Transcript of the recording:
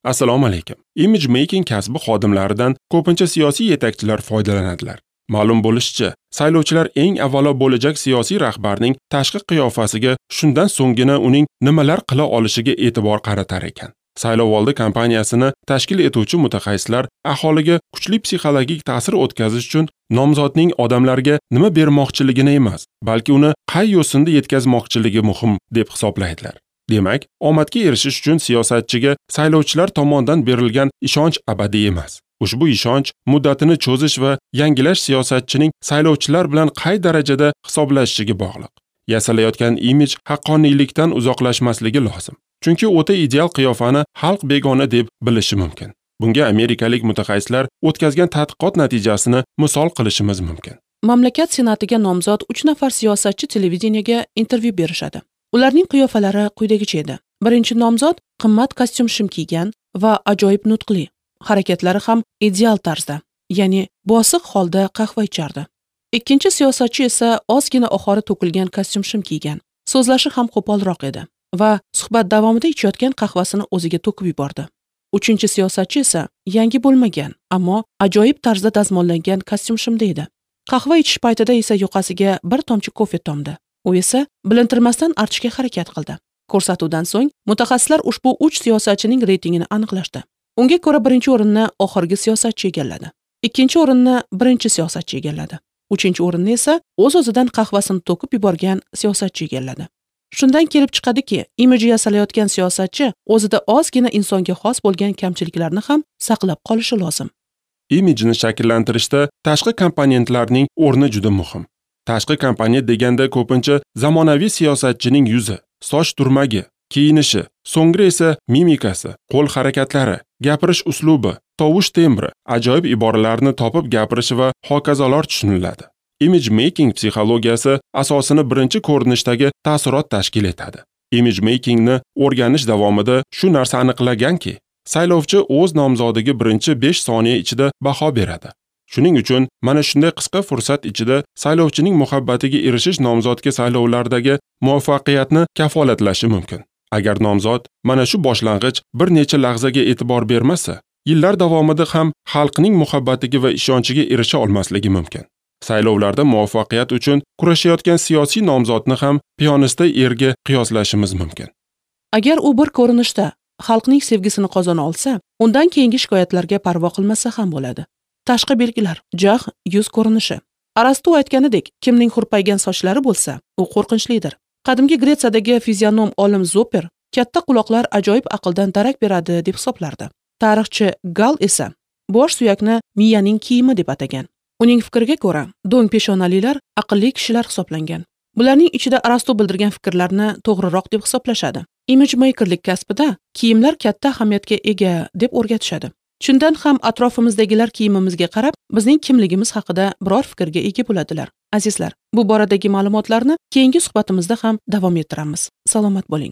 Assalomu alaykum. Image making kasbi xodimlaridan ko'pincha siyosiy yetakchilar foydalanadilar. Ma'lum bo'lishicha, saylovchilar eng avvalo bo'lajak siyosiy rahbarning tashqi qiyofasiga, shundan so'nggina uning nimalar qila olishiga e'tibor qaratar ekan. Saylovoldi kampaniyasini tashkil etuvchi mutaxassislar aholiga kuchli psixologik ta'sir o'tkazish uchun nomzodning odamlarga nima bermoqchiligini emas, balki uni qay yo'sinda yetkazmoqchiligi muhim deb hisoblaydilar. Demak, omadga erishish uchun siyosatchiga saylovchilar tomonidan berilgan ishonch abadiy emas. Ushbu ishonch muddatini cho'zish va yangilash siyosatchining saylovchilar bilan qay darajada hisoblashishiga bog'liq. Yasalayotgan imij haqqoniylikdan uzoqlashmasligi lozim. Chunki o'ta ideal qiyofani xalq begona deb bilishi mumkin. Bunga amerikalik mutaxassislar o'tkazgan tadqiqot natijasini misol qilishimiz mumkin. Mamlakat senatiga nomzod 3 nafar siyosatchi televideniyega intervyu berishadi. Ularning qiyofalari quyidagicha edi. Birinchi nomzod qimmat kostyum-shim kiygan va ajoyib nutqli, harakatlari ham ideal tarzda, ya'ni bosiq holda qahva ichardi. Ikkinchi siyosatchi esa ozgina oxori to'kilgan kostyum-shim kiygan. So'zlashi ham qo'polroq edi va suhbat davomida ichayotgan qahvasini o'ziga to'kib yubordi. Uchinchi siyosatchi esa yangi bo'lmagan, ammo ajoyib tarzda dazmollangan kostyum-shimda edi. Qahva ichish paytida esa yoqasiga bir tomchi kofe tomdi. U esa bilintirmasdan artishga harakat qildi. Ko'rsatuvdan so'ng mutaxassislar ushbu 3 siyosatchining reytingini aniqlashdi. Unga ko'ra birinchi o'rinni oxirgi siyosatchi egalladi. Ikkinchi o'rinni birinchi siyosatchi egalladi. Uchinchi o'rinni esa o'z-o'zidan qahvasini to'kib yuborgan siyosatchi egalladi. Shundan kelib chiqadiki, imiji yasalayotgan siyosatchi o'zida ozgina insonga xos bo'lgan kamchiliklarni ham saqlab qolishi lozim. Imijni shakllantirishda tashqi komponentlarning o'rni juda muhim. Tashqi komponent deganda ko'pincha zamonaviy siyosatchining yuzi, soch turmagi, kiyinishi, so'ngra esa mimikasi, qo'l harakatlari, gapirish uslubi, tovush tembri, ajoyib iboralarni topib gapirishi va hokazolar tushuniladi. Image making psixologiyasi asosini birinchi ko'rinishdagi ta'sirot tashkil etadi. Image makingni o'rganish davomida shu narsa aniqlanganki, saylovchi o'z nomzodiga birinchi 5 soniya ichida baho beradi. Shuning uchun mana shunday qisqa fursat ichida saylovchining muhabbatiga erishish nomzodga saylovlardagi muvaffaqiyatni kafolatlashi mumkin. Agar nomzod mana shu boshlang'ich bir necha lahzaga e'tibor bermasa, yillar davomida ham xalqning muhabbatiga va ishonchiga erisha olmasligi mumkin. Saylovlarda muvaffaqiyat uchun kurashayotgan siyosiy nomzodni ham piyonista erga qiyoslashimiz mumkin. Agar u bir ko'rinishda xalqning sevgisini qozona olsa, undan keyingi shikoyatlarga parvo qilmasa ham bo'ladi. Tashqi belgilar, jag', yuz ko'rinishi. Arastu aytganidek, kimning hurpaygan sochlari bo'lsa, u qo'rqinchlidir. Qadimgi Gretsiyadagi fizionom olim Zoper katta quloqlar ajoyib aqldan darak beradi deb hisoblardi. Tarixchi Gal esa bosh suyakni miyaning kiyimi deb atagan. Uning fikriga ko'ra, do'ng peshonalilar aqlli kishilar hisoblangan. Bularning ichida Arastu bildirgan fikrlarni to'g'riroq deb hisoblashadi. Image makerlik kasbida kiyimlar katta ahamiyatga ega deb o'rgatishadi. Shundan ham atrofimizdagilar kiyimimizga qarab bizning kimligimiz haqida biror fikrga ega bo'ladilar. Azizlar, bu boradagi ma'lumotlarni keyingi suhbatimizda ham davom ettiramiz. Salomat bo'ling.